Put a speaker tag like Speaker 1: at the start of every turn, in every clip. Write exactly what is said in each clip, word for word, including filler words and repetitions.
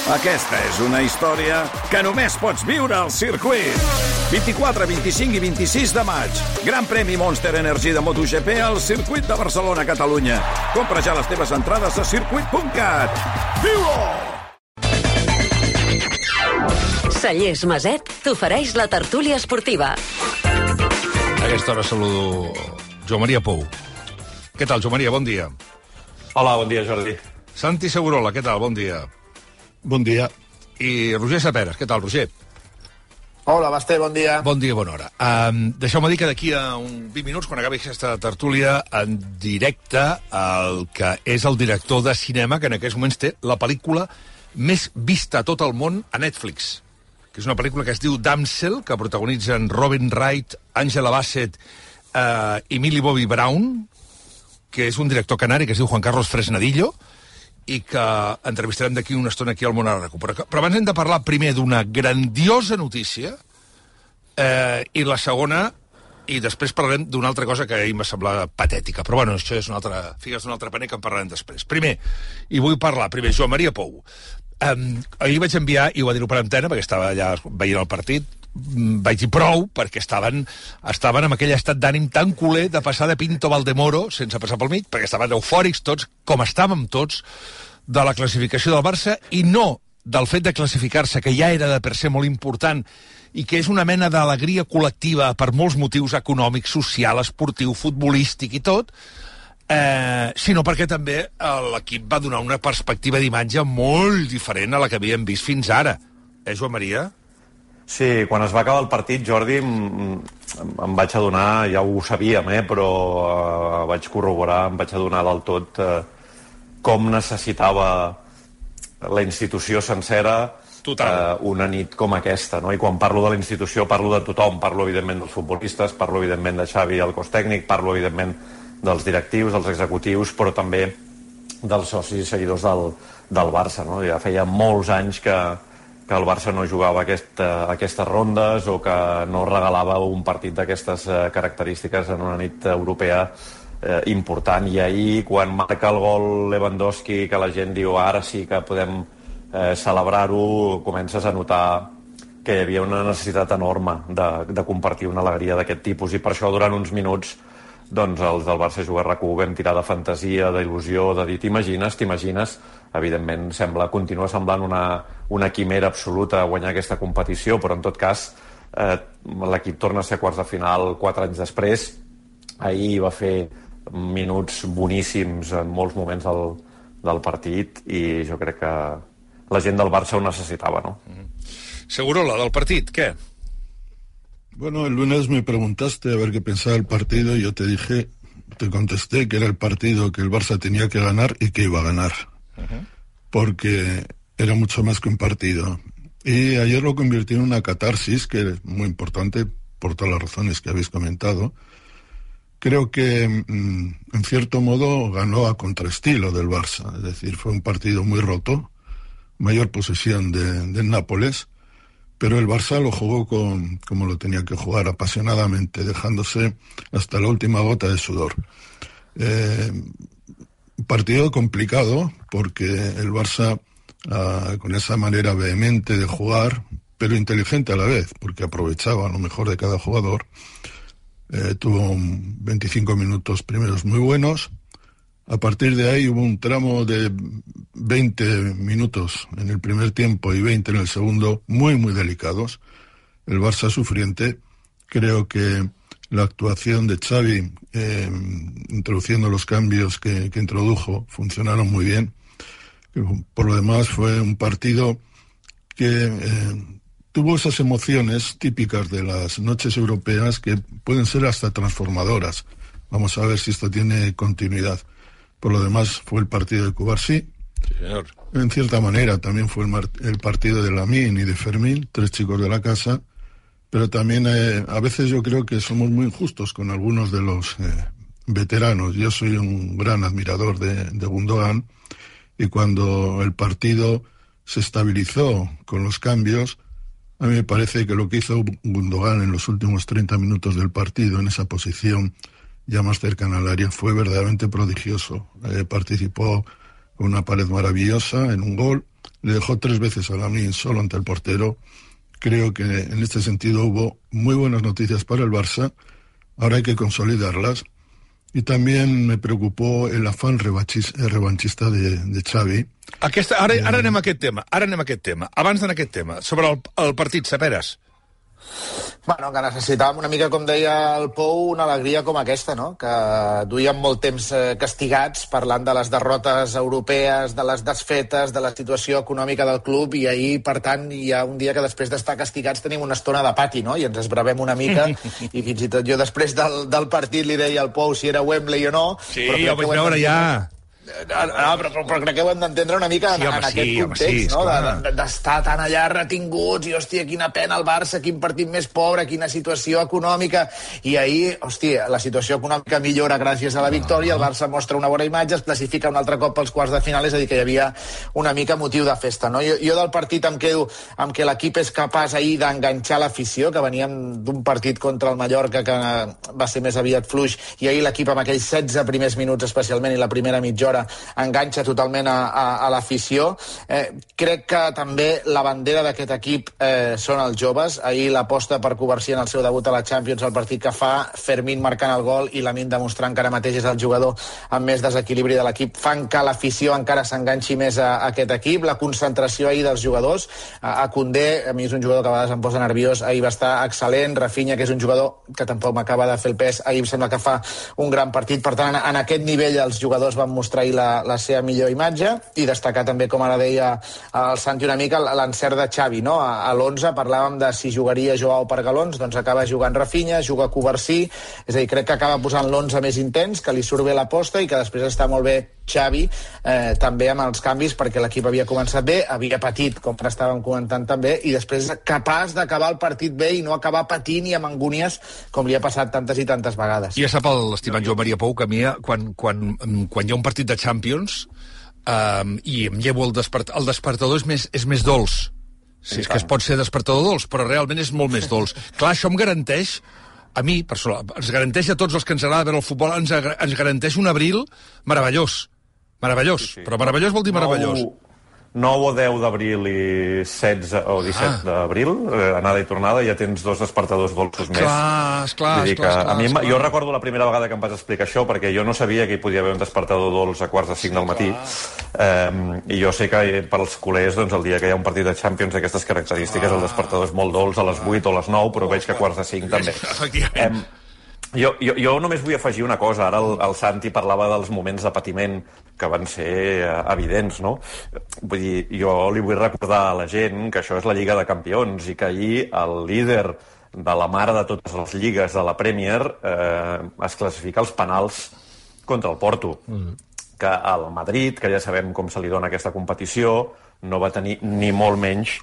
Speaker 1: Aquesta és una història que només pots viure al circuit. vint-i-quatre, vint-i-cinc i vint-i-sis de maig. Gran premi Monster Energy de MotoGP al circuit de Barcelona, Catalunya. Compra ja les teves entrades a circuit punt cat. Viu-ho!
Speaker 2: Cellers Maset t'ofereix la tertúlia esportiva.
Speaker 3: A aquesta hora saludo Joan Maria Pou. Què tal, Joan Maria? Bon dia.
Speaker 4: Hola, bon dia, Jordi.
Speaker 3: Santi Segurola, què tal? Bon dia.
Speaker 5: Bon dia.
Speaker 3: I Roger Saperes, què tal, Roger?
Speaker 6: Hola, Basté, bon dia.
Speaker 3: Bon dia, bona hora. Um, Deixeu-me dir que d'aquí a uns vint minuts, quan acabi aquesta tertúlia, en directe, el que és el director de cinema, que en aquests moments té la pel·lícula més vista a tot el món a Netflix, que és una pel·lícula que es diu Damsel, que protagonitzen Robin Wright, Angela Bassett uh, i Millie Bobby Brown, que és un director canari que es diu Juan Carlos Fresnadillo, i que entrevistarem d'aquí una estona aquí al Món a la Recu. Però, però abans hem de parlar primer d'una grandiosa notícia eh, i la segona, i després parlarem d'una altra cosa que a mi m'ha semblat patètica. Però bueno, això és una altra, figues d'un altre paner que en parlarem després. Primer, i vull parlar, primer, Joan Maria Pou. Um, ahir vaig enviar, i ho va dir-ho per antena, perquè estava allà veient el partit, vaig dir prou, perquè estaven, estaven en aquell estat d'ànim tan culer de passar de Pinto Valdemoro, sense passar pel mig, perquè estaven eufòrics tots, com estàvem tots, de la classificació del Barça, i no del fet de classificar-se, que ja era de per ser molt important, i que és una mena d'alegria col·lectiva per molts motius econòmics, social, esportiu, futbolístic i tot, eh, sinó perquè també l'equip va donar una perspectiva d'imatge molt diferent a la que havíem vist fins ara. Eh, Joan Maria?
Speaker 4: Sí, quan es va acabar el partit, Jordi, em, em vaig adonar, ja ho sabíem, eh, però eh, vaig corroborar, em vaig adonar del tot eh, com necessitava la institució sencera eh, una nit com aquesta, no? I quan parlo de la institució parlo de tothom, parlo evidentment dels futbolistes, parlo evidentment de Xavi, el cos tècnic, parlo evidentment dels directius, dels executius, però també dels socis i seguidors del, del Barça, no? Ja feia molts anys que que el Barça no jugava aquesta, aquestes rondes o que no regalava un partit d'aquestes eh, característiques en una nit europea eh, important. I ahir, quan marca el gol Lewandowski, que la gent diu ara sí que podem eh, celebrar-ho, comences a notar que hi havia una necessitat enorme de, de compartir una alegria d'aquest tipus, i per això durant uns minuts doncs els del Barça Juga R Q vam tirar de fantasia, d'il·lusió, de dir t'imagines, t'imagines. Evidentment sembla, continua semblant una, una quimera absoluta guanyar aquesta competició, però en tot cas eh, l'equip torna a ser quarts de final quatre anys després. Ahir va fer minuts boníssims en molts moments del, del partit, i jo crec que la gent del Barça ho necessitava, no?
Speaker 3: Mm-hmm. Segurola, del partit, què?
Speaker 5: Bueno, el lunes me preguntaste a ver qué pensaba del partido y yo te dije, te contesté que era el partido que el Barça tenía que ganar y que iba a ganar. Uh-huh. Porque era mucho más que un partido. Y ayer lo convirtió en una catarsis, que es muy importante por todas las razones que habéis comentado. Creo que, mmm, en cierto modo, ganó a contraestilo del Barça. Es decir, fue un partido muy roto, mayor posesión de, del Nápoles, pero el Barça lo jugó con, como lo tenía que jugar, apasionadamente, dejándose hasta la última gota de sudor. Eh, partido complicado, porque el Barça, ah, con esa manera vehemente de jugar, pero inteligente a la vez, porque aprovechaba lo mejor de cada jugador, eh, tuvo veinticinco minutos primeros muy buenos. A partir de ahí hubo un tramo de veinte minutos en el primer tiempo y veinte en el segundo, muy, muy delicados. El Barça sufriente. Creo que la actuación de Xavi, eh, introduciendo los cambios que, que introdujo, funcionaron muy bien. Por lo demás, fue un partido que eh, tuvo esas emociones típicas de las noches europeas que pueden ser hasta transformadoras. Vamos a ver si esto tiene continuidad. Por lo demás, fue el partido de Cubarsí.
Speaker 3: Sí, señor.
Speaker 5: En cierta manera, también fue el, mar- el partido de Lamine y de Fermín, tres chicos de la casa. Pero también eh, a veces yo creo que somos muy injustos con algunos de los eh, veteranos. Yo soy un gran admirador de, de Gundogan, y cuando el partido se estabilizó con los cambios, a mí me parece que lo que hizo Gundogan en los últimos treinta minutos del partido, en esa posición ya más cercana al área, fue verdaderamente prodigioso. Eh, participó con una pared maravillosa en un gol, le dejó tres veces a Lamine solo ante el portero. Creo que en este sentido hubo muy buenas noticias para el Barça. Ahora hay que consolidarlas. Y también me preocupó el afán revanchista de, de Xavi.
Speaker 3: Aquesta, ara, ara anem a aquest tema. Ara anem a aquest tema. Abans d'anar a aquest tema, sobre el, el partit, Saperes.
Speaker 6: Bueno, que necessitàvem una mica, com deia el Pou, una alegria com aquesta, no? Que duíem molt temps castigats parlant de les derrotes europees, de les desfetes, de la situació econòmica del club, i ahir, per tant, hi ha un dia que després d'estar castigats tenim una estona de pati, no? I ens esbravem una mica, i fins i tot jo després del, del partit li deia al Pou si era Wembley o no.
Speaker 3: Sí, jo vaig veure ja...
Speaker 6: No, però, però, però crec que ho hem d'entendre una mica sí, en, home, en aquest sí, context, home, sí, no? D'estar de, tan allà retinguts i, hòstia, quina pena el Barça, quin partit més pobre, quina situació econòmica. I ahir, hòstia, la situació econòmica millora gràcies a la victòria, el Barça mostra una bona imatge, es classifica un altre cop pels quarts de final, és a dir, que hi havia una mica motiu de festa, no? Jo, jo del partit em quedo amb que l'equip és capaç ahir d'enganxar l'afició, que veníem d'un partit contra el Mallorca que va ser més aviat fluix, i ahir l'equip amb aquells setze primers minuts especialment i la primera mitja hora enganxa totalment a, a, a l'afició. Eh, crec que també la bandera d'aquest equip eh, són els joves. Ahir l'aposta per Covarsí en el seu debut a la Champions, el partit que fa, Fermín marcant el gol i Lamine demostrant que ara mateix és el jugador amb més desequilibri de l'equip, fan que l'afició encara s'enganxi més a, a aquest equip. La concentració ahir dels jugadors, a, a Koundé, a mi és un jugador que a vegades em posa nerviós, ahir va estar excel·lent. Rafinha, que és un jugador que tampoc m'acaba de fer el pes, ahir em sembla que fa un gran partit. Per tant, en, en aquest nivell els jugadors van mostrar La, la seva millor imatge, i destacar també, com ara deia el Santi una mica, l'encert de Xavi, no? A, a l'onze parlàvem de si jugaria Joao per galons, doncs acaba jugant Rafinha, juga Covarsí, és a dir, crec que acaba posant l'onze més intens, que li surt bé l'aposta i que després està molt bé Xavi, eh, també amb els canvis, perquè l'equip havia començat bé, havia patit, com estàvem comentant també, i després capaç d'acabar el partit bé i no acabar patint i amb angúnies, com li ha passat tantes i tantes vegades.
Speaker 3: Ja sap l'estimat Joan Maria Pou que a mi, quan, quan, quan hi ha un partit de Champions um, i em llevo el despertador, el despertador és més, és més dolç. Sí, és que es pot ser despertador dolç, però realment és molt més dolç. Clar, això em garanteix, a mi, personal, ens garanteix a tots els que ens agrada veure el futbol, ens, ens garanteix un abril meravellós. Meravellós, sí, sí. Però meravellós vol dir meravellós.
Speaker 4: nou o deu d'abril i setze o disset ah. d'abril, eh, anada i tornada, ja tens dos despertadors dolços més.
Speaker 3: Clar, esclar, esclar, esclar,
Speaker 4: a mi,
Speaker 3: esclar.
Speaker 4: Jo recordo la primera vegada que em vas explicar això, perquè jo no sabia que hi podia haver un despertador dolç a quarts de cinc del matí, eh, i jo sé que pels culers, doncs, el dia que hi ha un partit de Champions d'aquestes característiques, ah. el despertador és molt dolç a les vuit o a les nou, però veig que a quarts de cinc també.
Speaker 3: Efectivament.
Speaker 4: Eh, Jo, jo, jo només vull afegir una cosa. Ara el, el Santi parlava dels moments de patiment que van ser uh, evidents, no? Vull dir, jo li vull recordar a la gent que això és la Lliga de Campions i que ahir el líder de la mare de totes les lligues de la Premier eh, es classifica als penals contra el Porto. Mm. Que el Madrid, que ja sabem com se li dona aquesta competició, no va tenir ni molt menys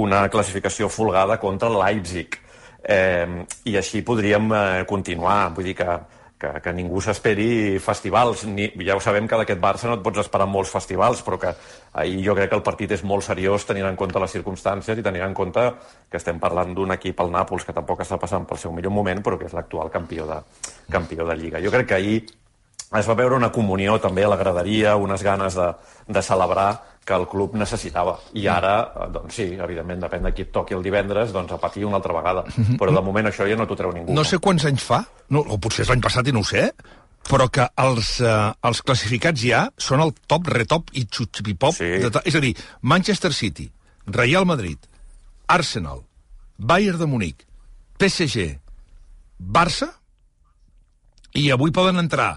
Speaker 4: una classificació folgada contra el Leipzig. Eh, i així podríem eh, continuar, vull dir que, que, que ningú s'esperi festivals. Ni, ja ho sabem que d'aquest Barça no et pots esperar molts festivals, però que ahir jo crec que el partit és molt seriós tenint en compte les circumstàncies i tenint en compte que estem parlant d'un equip, el Nàpols, que tampoc està passant pel seu millor moment, però que és l'actual campió de, campió de Lliga. Jo crec que ahir es va veure una comunió també a la graderia, unes ganes de, de celebrar que el club necessitava. I ara, doncs sí, evidentment, depèn de qui et toqui el divendres, doncs a patir una altra vegada. Però de moment això ja no t'ho treu ningú.
Speaker 3: No sé quants anys fa, no, o potser és l'any passat i no ho sé, però que els, eh, els classificats ja són el top, retop i xutxipipop. Sí. De és a dir, Manchester City, Real Madrid, Arsenal, Bayern de Múnich, P S G, Barça, i avui poden entrar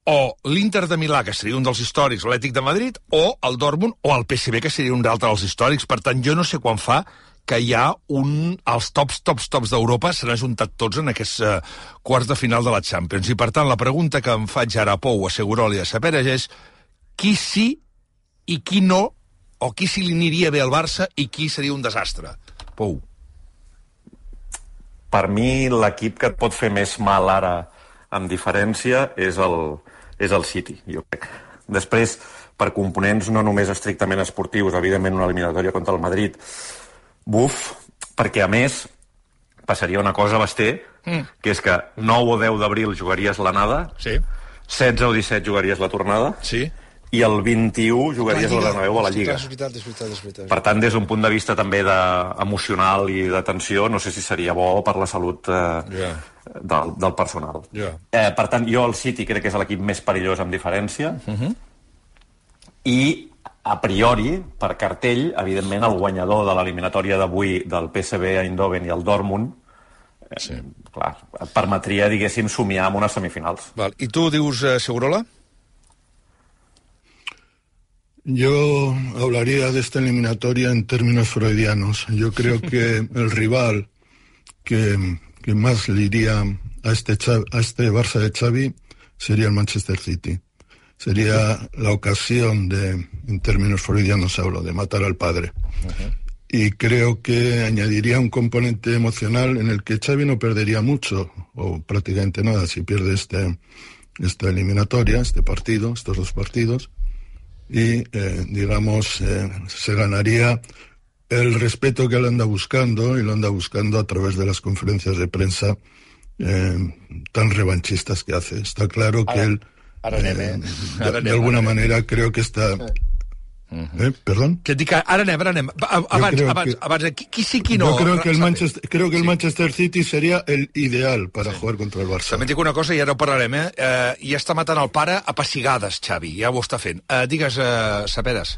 Speaker 3: o l'Inter de Milà, que seria un dels històrics, l'Atlètic de Madrid, o el Dortmund, o el P S V, que seria un d'altre dels històrics. Per tant, jo no sé quan fa que hi ha un... Els tops, tops, tops d'Europa s'han ajuntat tots en aquests uh, quarts de final de la Champions. I, per tant, la pregunta que em faig ara a Pou, a Segurol i a Saperes és qui sí i qui no, o qui sí li aniria bé al Barça i qui seria un desastre. Pou.
Speaker 4: Per mi, l'equip que et pot fer més mal ara, amb diferència, és el... és el City, jo crec. Després, per components no només estrictament esportius, evidentment una eliminatòria contra el Madrid, buf, perquè a més passaria una cosa, Basté, mm. que és que nou o deu d'abril jugaries l'anada,
Speaker 3: sí.
Speaker 4: setze o disset jugaries la tornada,
Speaker 3: sí.
Speaker 4: i el vint-i-u jugaries al Bernabéu a la Lliga.
Speaker 3: És veritat, és veritat, és veritat.
Speaker 4: Per tant, des d'un punt de vista també de, emocional i de tensió, no sé si seria bo per la salut eh, yeah. del, del personal.
Speaker 3: Yeah.
Speaker 4: Eh, per tant, jo el City crec que és l'equip més perillós amb diferència, uh-huh. i a priori, per cartell, evidentment el guanyador de l'eliminatòria d'avui del P S V Eindhoven i el Dortmund eh, sí. clar, et permetria, diguéssim, somiar amb unes semifinals.
Speaker 3: Val. I tu dius eh, Segurola?
Speaker 5: Yo hablaría de esta eliminatoria en términos freudianos. Yo creo que el rival que, que más le iría a este, a este Barça de Xavi sería el Manchester City. Sería la ocasión de, en términos freudianos hablo, de matar al padre. Uh-huh. Y creo que añadiría un componente emocional en el que Xavi no perdería mucho, o prácticamente nada, si pierde este, esta eliminatoria, este partido, estos dos partidos. Y, eh, digamos, eh, se ganaría el respeto que él anda buscando, y lo anda buscando a través de las conferencias de prensa eh, tan revanchistas que hace. Está claro que él,
Speaker 6: ara anem, eh?
Speaker 5: de, de, de alguna manera, creo que está... Eh, perdón.
Speaker 3: Que et dic, ara anem, ara anem. Abans, abans,
Speaker 5: que,
Speaker 3: abans, qui, qui sí, qui no?
Speaker 5: Yo creo que el Manchester, creo que el sí. Manchester City sería el ideal para sí. jugar contra el Barça.
Speaker 3: També et dic una cosa, i ara ho parlarem, eh? eh ja està matant el pare a pessigades, Xavi, ja ho està fent. Eh, digues, eh, Sapedes.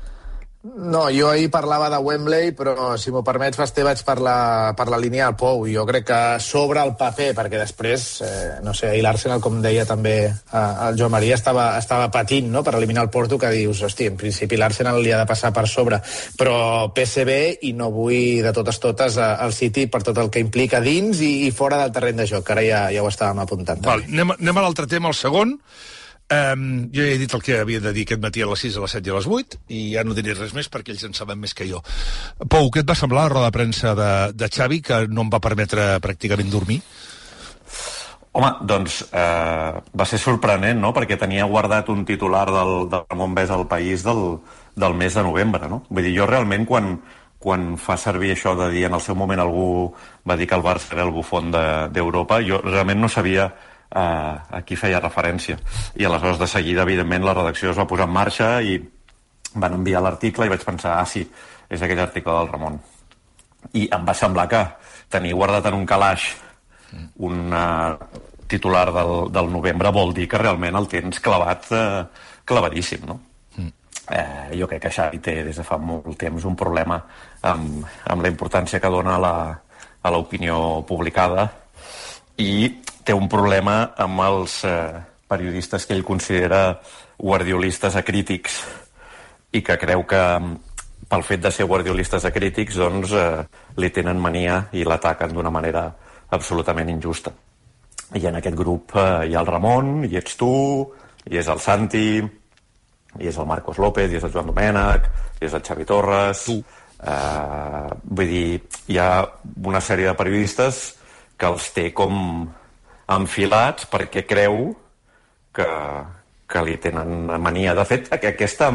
Speaker 6: No, jo ahir parlava de Wembley, però, si m'ho permets, Basté, vaig per la, per la línia del Pou. Jo crec que sobre el paper, perquè després, eh, no sé, ahir l'Arsenal, com deia també eh, el Joan Maria, estava, estava patint, no?, per eliminar el Porto, que dius, hosti, en principi l'Arsenal li ha de passar per sobre. Però P S V, i no vull de totes totes el City per tot el que implica dins i, i fora del terreny de joc, que ara ja, ja ho estàvem apuntant.
Speaker 3: Val, anem, anem a l'altre tema, el segon. Um, jo ja he dit el que havia de dir aquest matí a les sis, a les set i a les vuit, i ja no diré res més perquè ells en saben més que jo. Pou, què et va semblar la roda de premsa de, de Xavi, que no em va permetre pràcticament dormir?
Speaker 4: Home, doncs eh, va ser sorprenent, no?, perquè tenia guardat un titular del, del Montbés al País del, del mes de novembre, no? Vull dir, jo realment, quan, quan fa servir això de dir, en el seu moment algú va dir que el Barça era el bufón d'Europa, de, jo realment no sabia Uh, a qui feia referència, i aleshores de seguida, evidentment, la redacció es va posar en marxa i van enviar l'article i vaig pensar, ah sí, és aquell article del Ramon, i em va semblar que tenir guardat en un calaix un uh, titular del, del novembre vol dir que realment el tens clavat, uh, clavadíssim, no? Mm. Uh, jo crec que Xavi té des de fa molt temps un problema amb, amb la importància que dona a la, a l'opinió publicada, i té un problema amb els eh, periodistes que ell considera guardiolistes acrítics, i que creu que pel fet de ser guardiolistes acrítics doncs eh, li tenen mania i l'ataquen d'una manera absolutament injusta. I en aquest grup eh, hi ha el Ramon, hi ets tu, hi és el Santi, hi és el Marcos López, hi és el Joan Domènech, hi és el Xavi Torres... Tu. Eh, vull dir, hi ha una sèrie de periodistes que els té com enfilats perquè creu que, que li tenen mania. De fet, aquesta,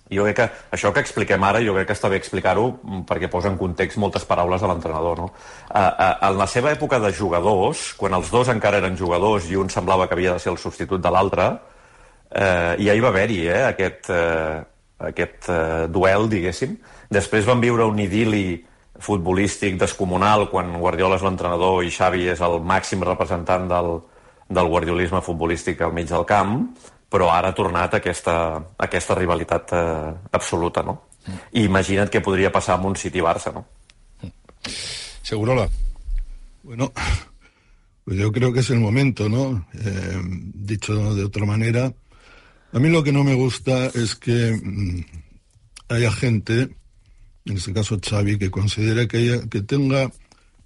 Speaker 4: jo crec que això que expliquem ara, jo crec que està bé explicar-ho perquè posa en context moltes paraules de l'entrenador, no? En la seva època de jugadors, quan els dos encara eren jugadors i un semblava que havia de ser el substitut de l'altre, eh, ja hi va haver-hi eh, aquest, eh, aquest eh, duel, diguéssim. Després van viure un idili futbolístic descomunal quan Guardiola és l'entrenador i Xavi és el màxim representant del, del guardiolisme futbolístic al mig del camp, però ara ha tornat aquesta, aquesta rivalitat eh, absoluta, no? Mm. I imagina't què podria passar amb un City-Barça, no?
Speaker 3: Segurola.
Speaker 5: Bueno, pues yo creo que es el momento, ¿no? Eh, dicho de otra manera, a mí lo que no me gusta es que mmm, haya gente, en este caso Xavi, que considera que, haya, que tenga,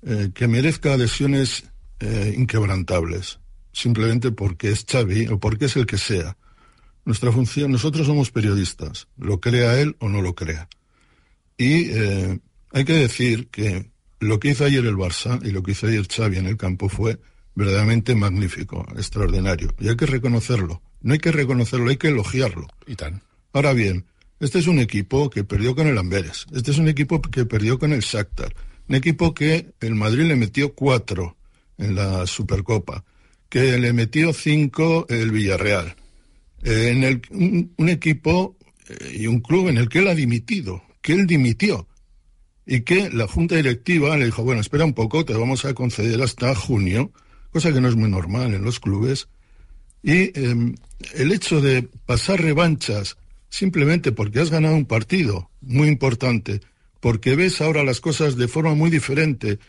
Speaker 5: eh, que merezca adhesiones eh, inquebrantables, simplemente porque es Xavi o porque es el que sea. Nuestra función, nosotros somos periodistas, lo crea él o no lo crea. Y eh, hay que decir que lo que hizo ayer el Barça y lo que hizo ayer Xavi en el campo fue verdaderamente magnífico, extraordinario. Y hay que reconocerlo. No hay que reconocerlo, hay que elogiarlo.
Speaker 3: Y tan.
Speaker 5: Ahora bien, este es un equipo que perdió con el Amberes. Este es un equipo que perdió con el Shakhtar. Un equipo que el Madrid le metió cuatro en la Supercopa. Que le metió cinco el Villarreal. eh, en el, un, un equipo eh, y un club en el que él ha dimitido, que él dimitió, y que la junta directiva le dijo, bueno, espera un poco, te vamos a conceder hasta junio, cosa que no es muy normal en los clubes, y eh, el hecho de pasar revanchas simplemente porque has ganado un partido muy importante, porque ves ahora las cosas de forma muy diferente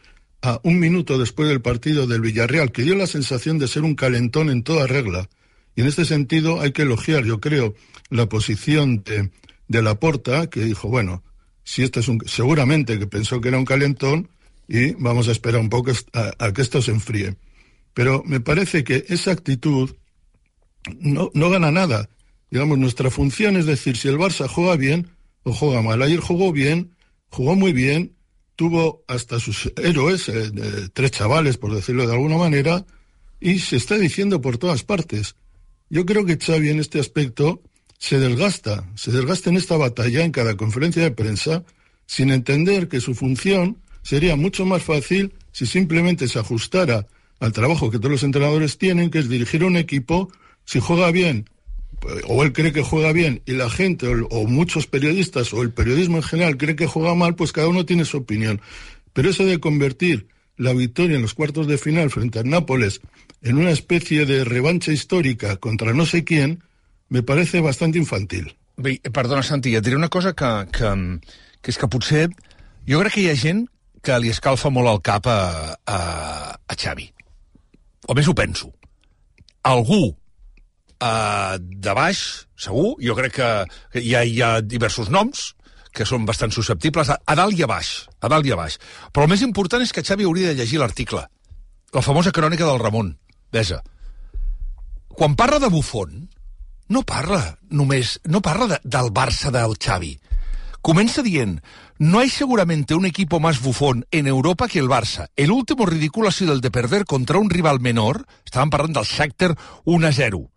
Speaker 5: a un minuto después del partido del Villarreal, que dio la sensación de ser un calentón en toda regla, y en este sentido hay que elogiar, yo creo, la posición de, de Laporta, que dijo, bueno, si este es un, seguramente que pensó que era un calentón y vamos a esperar un poco a, a que esto se enfríe. Pero me parece que esa actitud no, no gana nada. Digamos, nuestra función es decir, si el Barça juega bien o juega mal. Ayer jugó bien, jugó muy bien, tuvo hasta sus héroes, eh, eh, tres chavales, por decirlo de alguna manera, y se está diciendo por todas partes. Yo creo que Xavi en este aspecto se desgasta, se desgasta en esta batalla en cada conferencia de prensa, sin entender que su función sería mucho más fácil si simplemente se ajustara al trabajo que todos los entrenadores tienen, que es dirigir un equipo. Si juega bien, o él cree que juega bien, y la gente, o, o muchos periodistas, o el periodismo en general cree que juega mal, pues cada uno tiene su opinión. Pero eso de convertir la victoria en los cuartos de final frente al Nápoles en una especie de revancha histórica contra no sé quién, me parece bastante infantil.
Speaker 3: Bé, perdona, Santi, et diré una cosa que, que, que és que potser jo crec que hi ha gent que li escalfa molt el cap a, a, a Xavi. O més ho penso. Algú uh, de baix, segur, jo crec que, que hi, ha, hi ha diversos noms que són bastant susceptibles, a, a dalt i a baix, a dalt i a baix. Però el més important és que Xavi hauria de llegir l'article, la famosa crònica del Ramon Besa. Quan parla de Buffon, no parla només, no parla de, del Barça del Xavi. Comienza diciendo, no hay seguramente un equipo más bufón en Europa que el Barça. El último ridículo ha sido el de perder contra un rival menor, estaban hablando del Shakhtar uno a cero,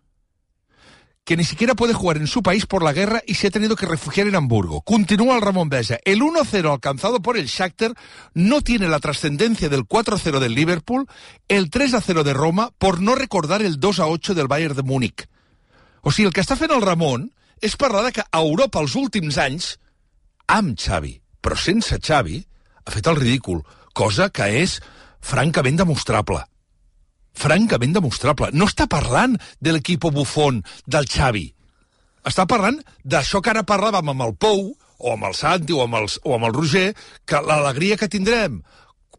Speaker 3: que ni siquiera puede jugar en su país por la guerra y se ha tenido que refugiar en Hamburgo. Continúa el Ramón Besa. El uno a cero alcanzado por el Shakhtar no tiene la trascendencia del cuatro a cero del Liverpool, el tres a cero de Roma, por no recordar el dos a ocho del Bayern de Múnich. O sigui, el que està fent el Ramon és parlar de que a Europa els últims anys, amb Xavi, però sense Xavi, ha fet el ridícul, cosa que és francament demostrable. Francament demostrable. No està parlant de l'equip Buffon del Xavi. Està parlant d'això que ara parlàvem amb el Pou, o amb el Santi, o amb, els, o amb el Roger, que l'alegria que tindrem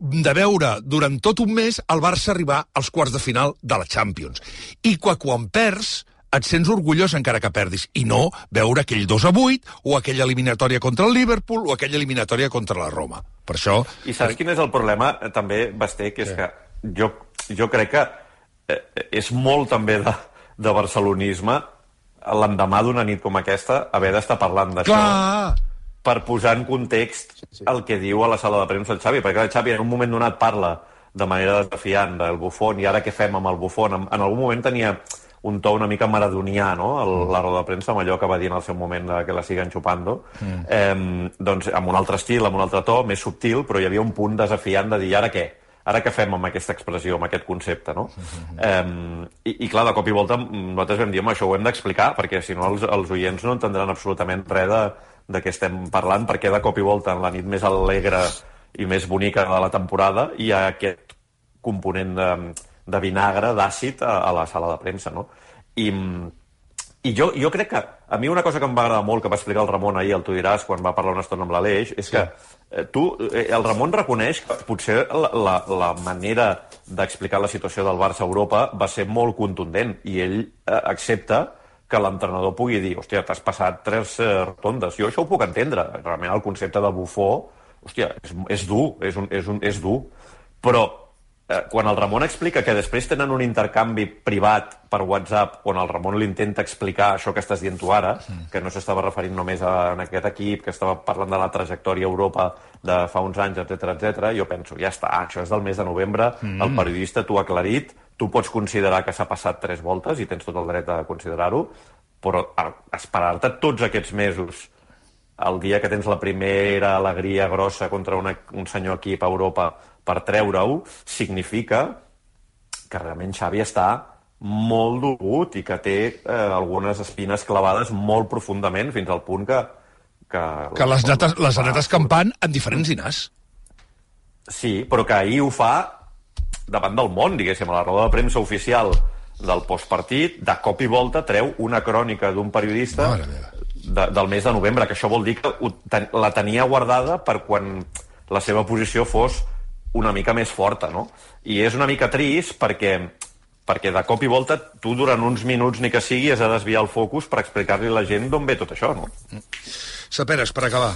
Speaker 3: de veure durant tot un mes el Barça arribar als quarts de final de la Champions. I que quan perds et sents orgullós encara que perdis, i no veure aquell dos a vuit, o aquella eliminatòria contra el Liverpool, o aquella eliminatòria contra la Roma. Per això...
Speaker 4: I saps quin és el problema, també, Basté, que és sí. que jo, jo crec que eh, és molt també de, de barcelonisme l'endemà d'una nit com aquesta haver d'estar parlant d'això per posar en context sí, sí. el que diu a la sala de premsa el Xavi, perquè el Xavi en un moment donat parla de manera desafiant del Buffon, i ara què fem amb el Buffon? En, en algun moment tenia un to una mica maradonià, no?, el, la roda de premsa, amb allò que va dir en el seu moment de que la siguen chupando, mm. eh, doncs amb un altre estil, amb un altre to, més subtil, però hi havia un punt desafiant de dir, ara què? Ara què fem amb aquesta expressió, amb aquest concepte, no? Mm-hmm. eh, i, I clar, de cop i volta nosaltres vam dir, home, això ho hem d'explicar, perquè si no els, els oients no entendran absolutament res de, de què estem parlant, perquè de cop i volta en la nit més alegre i més bonica de la temporada hi ha aquest component de de vinagre, d'àcid, a, a la sala de premsa, no? I, i jo, jo crec que a mi una cosa que em va agradar molt, que va explicar el Ramon ahir, el Tu diràs, quan va parlar una estona amb l'Aleix, és sí. que eh, tu, eh, el Ramon reconeix que potser la, la, la manera d'explicar la situació del Barça a Europa va ser molt contundent, i ell eh, accepta que l'entrenador pugui dir, hòstia, t'has passat tres eh, rotondes. Jo això ho puc entendre. Realment el concepte de bufó, hòstia, és, és dur, és, un, és, un, és dur, però quan el Ramon explica que després tenen un intercanvi privat per WhatsApp on el Ramon li intenta explicar això que estàs dient tu ara, que no s'estava referint només a en aquest equip, que estava parlant de la trajectòria a Europa de fa uns anys, etcètera, etcètera, jo penso, ja està, això és del mes de novembre, mm. el periodista t'ho ha aclarit, tu pots considerar que s'ha passat tres voltes i tens tot el dret a considerar-ho, però esperar-te tots aquests mesos el dia que tens la primera alegria grossa contra una, un senyor equip a Europa per treure-ho, significa que realment Xavi està molt dolgut i que té eh, algunes espines clavades molt profundament, fins al punt que... Que,
Speaker 3: que les, netes, les anetes campant en diferents dinars.
Speaker 4: Sí, però que ahir ho fa davant del món, diguéssim, a la roda de premsa oficial del postpartit, de cop i volta treu una crònica d'un periodista de, del mes de novembre, que això vol dir que ten, la tenia guardada per quan la seva posició fos una mica més forta, no? I és una mica trist perquè, perquè de cop i volta tu durant uns minuts ni que sigui has de desviar el focus per explicar-li a la gent d'on ve tot això, no?
Speaker 3: Saperes, per acabar.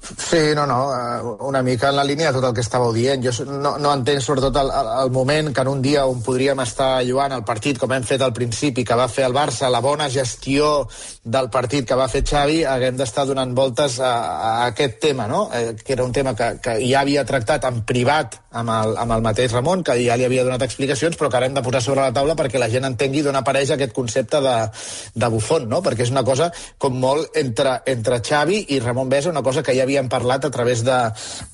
Speaker 6: Sí, no, no, una mica en la línia de tot el que estàveu dient. Jo no, no entenc sobretot el, el moment que en un dia on podríem estar lluant el partit, com hem fet al principi, que va fer el Barça, la bona gestió del partit que va fer Xavi, haguem d'estar donant voltes a, a aquest tema, no? Eh, que era un tema que, que ja havia tractat en privat amb el, amb el mateix Ramon, que ja li havia donat explicacions, però que ara hem de posar sobre la taula perquè la gent entengui d'on apareix aquest concepte de, de bufón, no? Perquè és una cosa com molt entre, entre Xavi i Ramon Besa, una cosa que ja havia havíem parlat a través de,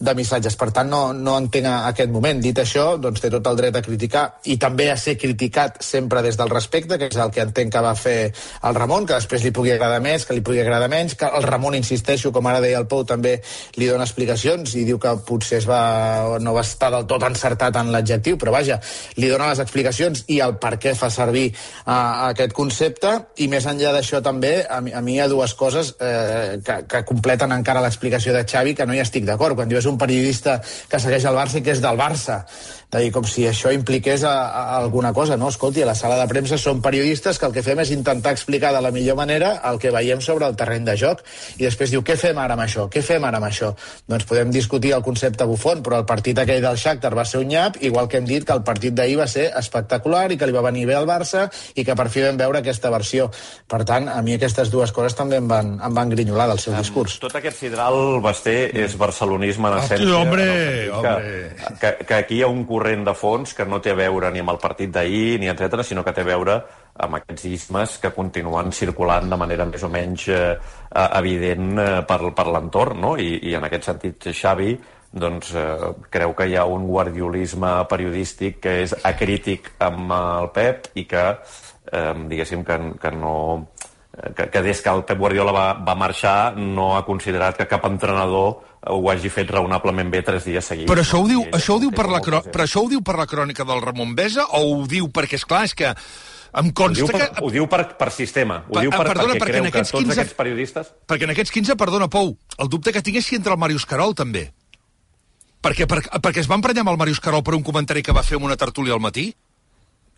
Speaker 6: de missatges. Per tant, no, no entenc aquest moment. Dit això, doncs té tot el dret a criticar i també a ser criticat sempre des del respecte, que és el que entenc que va fer el Ramon, que després li pugui agradar més, que li pugui agradar menys, que el Ramon, insisteixo, com ara deia el Pou, també li dona explicacions i diu que potser es va, no va estar del tot encertat en l'adjectiu, però vaja, li dona les explicacions i el per què fa servir uh, aquest concepte, i més enllà d'això també, a mi, a mi hi ha dues coses eh, que, que completen encara l'explicació de Xavi, que no hi estic d'acord. Quan diu és un periodista que segueix el Barça i que és del Barça, de dir, com si això impliqués a, a alguna cosa, no? Escolti, a la sala de premsa són periodistes que el que fem és intentar explicar de la millor manera el que veiem sobre el terreny de joc, i després diu, què fem ara amb això? Què fem ara amb això? Doncs podem discutir el concepte bufón, però el partit aquell del Shakhtar va ser un nyap, igual que hem dit que el partit d'ahir va ser espectacular i que li va venir bé al Barça i que per fi vam veure aquesta versió. Per tant, a mi aquestes dues coses també em van, em van grinyolar del seu discurs.
Speaker 4: Tot aquest sidral, Basté, és barcelonisme en essència.
Speaker 3: Ah, hombre,
Speaker 4: que,
Speaker 3: hombre.
Speaker 4: Que, que aquí hi ha un corrent de fons que no té a veure ni amb el partit d'ahir, ni etcètera, sinó que té a veure amb aquests ismes que continuen circulant de manera més o menys eh, evident eh, per, per l'entorn, no? I, i en aquest sentit Xavi doncs, eh, creu que hi ha un guardiolisme periodístic que és acrític amb el Pep i que, eh, diguéssim, que, que no... Que, que des que el Pep Guardiola va, va marxar no ha considerat que cap entrenador ho hagi fet raonablement bé tres dies seguits.
Speaker 3: Però això ho diu, això ho diu, per, la, però això ho diu per la crònica del Ramon Besa o ho diu perquè, esclar, és que em consta
Speaker 4: ho diu per,
Speaker 3: que...
Speaker 4: Ho diu per, per sistema. Ho per, diu per,
Speaker 3: perdona,
Speaker 4: perquè,
Speaker 3: perquè
Speaker 4: creu que tots
Speaker 3: quinze,
Speaker 4: aquests periodistes...
Speaker 3: Perquè en aquests quinze, perdona, Pou, el dubte que tinc és si entra el Màrius Carol, també. Perquè, per, perquè es va emprenyar amb el Màrius Carol per un comentari que va fer en una tertúlia al matí?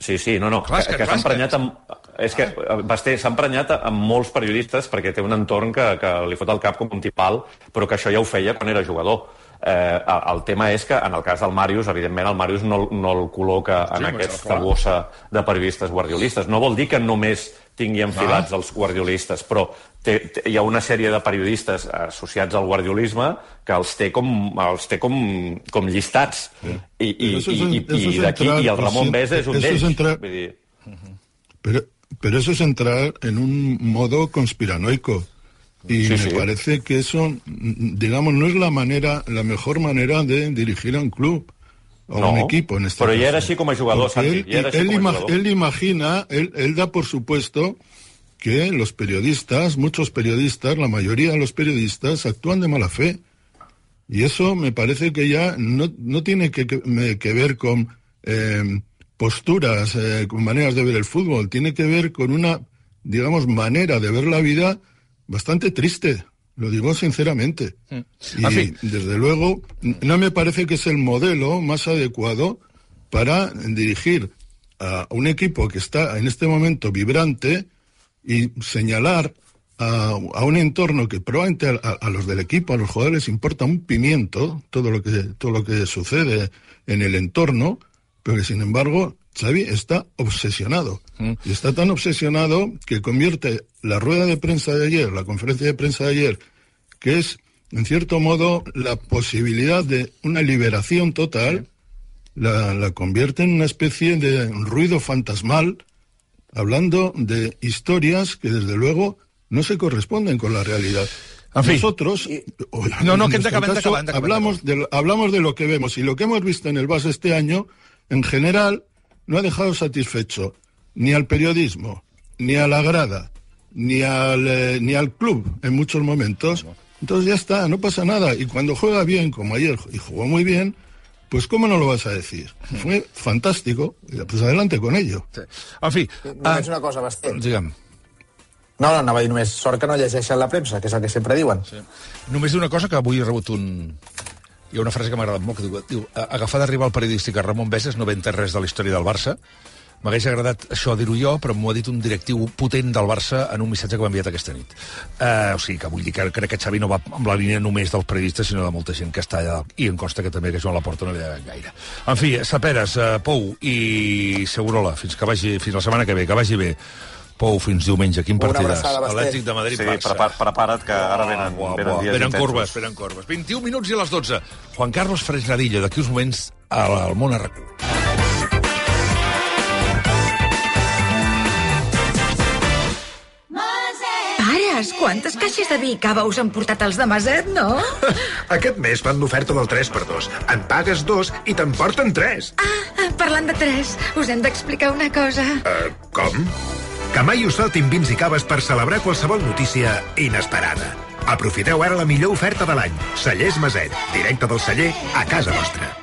Speaker 4: Sí, sí, no, no, clar, que, que, que s'ha emprenyat amb... És que Basté s'ha emprenyat amb molts periodistes perquè té un entorn que, que li fot el cap com un tipal, però que això ja ho feia quan era jugador. Eh, el tema és que, en el cas del Màrius, evidentment el Màrius no, no el col·loca en sí, aquesta bossa de periodistes guardiolistes. No vol dir que només tingui enfilats ah. els guardiolistes, però té, té, hi ha una sèrie de periodistes associats al guardiolisme que els té com, els té com, com llistats. Sí. I, i, i, i, i d'aquí, i el Ramon Besa és un d'ells.
Speaker 5: Entrar...
Speaker 4: Vull dir...
Speaker 5: Pero, pero eso es entrar en un modo conspiranoico. Y sí, me sí. parece que eso, digamos, no es la manera, la mejor manera de dirigir a un club o
Speaker 4: no,
Speaker 5: un equipo en este
Speaker 4: pero
Speaker 5: caso.
Speaker 4: ya era así como jugador, Santi.
Speaker 5: Él,
Speaker 4: ya era así
Speaker 5: él,
Speaker 4: como
Speaker 5: ima
Speaker 4: jugador.
Speaker 5: él imagina, él, él da por supuesto que los periodistas, muchos periodistas, la mayoría de los periodistas actúan de mala fe. Y eso me parece que ya no, no tiene que, que, que ver con eh, posturas, eh, con maneras de ver el fútbol. Tiene que ver con una, digamos, manera de ver la vida bastante triste. Lo digo sinceramente. Mm. Y, desde luego, no me parece que es el modelo más adecuado para dirigir a un equipo que está en este momento vibrante y señalar a, a un entorno que probablemente a, a los del equipo, a los jugadores, importa un pimiento todo lo que, todo lo que sucede en el entorno, pero que, sin embargo, Xavi está obsesionado. Mm. Y está tan obsesionado que convierte la rueda de prensa de ayer, la conferencia de prensa de ayer, que es, en cierto modo, la posibilidad de una liberación total, la, la convierte en una especie de ruido fantasmal, hablando de historias que, desde luego, no se corresponden con la realidad. En fin. Nosotros,
Speaker 3: no, no,
Speaker 5: en
Speaker 3: que
Speaker 5: nuestro
Speaker 3: acabant,
Speaker 5: caso,
Speaker 3: acabant, acabant,
Speaker 5: hablamos,
Speaker 3: acabant.
Speaker 5: De, hablamos de lo que vemos, y lo que hemos visto en el Barça este año, en general, no ha dejado satisfecho ni al periodismo, ni a la grada, ni al, eh, ni al club en muchos momentos, entonces ya está, no pasa nada. Y cuando juega bien, como ayer, y jugó muy bien, pues ¿cómo no lo vas a decir? Fue fantástico, pues adelante con ello.
Speaker 3: Sí. En fi...
Speaker 6: Només una cosa, Basté.
Speaker 3: Digue'm.
Speaker 6: No, no, anava a dir només, sort que no llegeixen la premsa, que és el que sempre diuen.
Speaker 3: Sí. Només dir una cosa, que avui he rebut un... Hi ha una frase que m'ha agradat molt, que diu, diu agafar d'arribar al periodístic a Ramon Veses no venta res de la història del Barça. M'hagués agradat això dir-ho jo, però m'ho ha dit un directiu potent del Barça en un missatge que m'ha enviat aquesta nit. Uh, o sigui, que vull dir que crec que Xavi no va amb la línia només dels periodistes, sinó de molta gent que està allà. I em consta que també que Joan Laporta no li ha gaire. En fi, Saperes, uh, Pou i Segurola, fins que vagi, fins la setmana que ve, que vagi bé. Pou, fins diumenge, quin partidàs? Atlètic de Madrid,
Speaker 4: sí,
Speaker 3: Barça.
Speaker 4: Prepar, prepara't, que ara venen,
Speaker 3: buah,
Speaker 4: venen
Speaker 3: buah,
Speaker 4: dies
Speaker 3: venen
Speaker 4: intensos.
Speaker 3: corbes, venen corbes. vint-i-un minuts i a les dotze. Juan Carlos Fresnadillo, d'aquí uns moments al món a RAC u.
Speaker 7: Pares, quantes caixes de vi i cava us han portat els de Maset, no?
Speaker 8: Aquest mes fan l'oferta del tres per dos. En pagues dos i te'n porten tres.
Speaker 7: Ah, parlant de tres, us hem d'explicar una cosa.
Speaker 8: Uh, com? Que mai us faltin vins i caves per celebrar qualsevol notícia inesperada. Aprofiteu ara la millor oferta de l'any. Cellers Maset, directe del celler a casa vostra.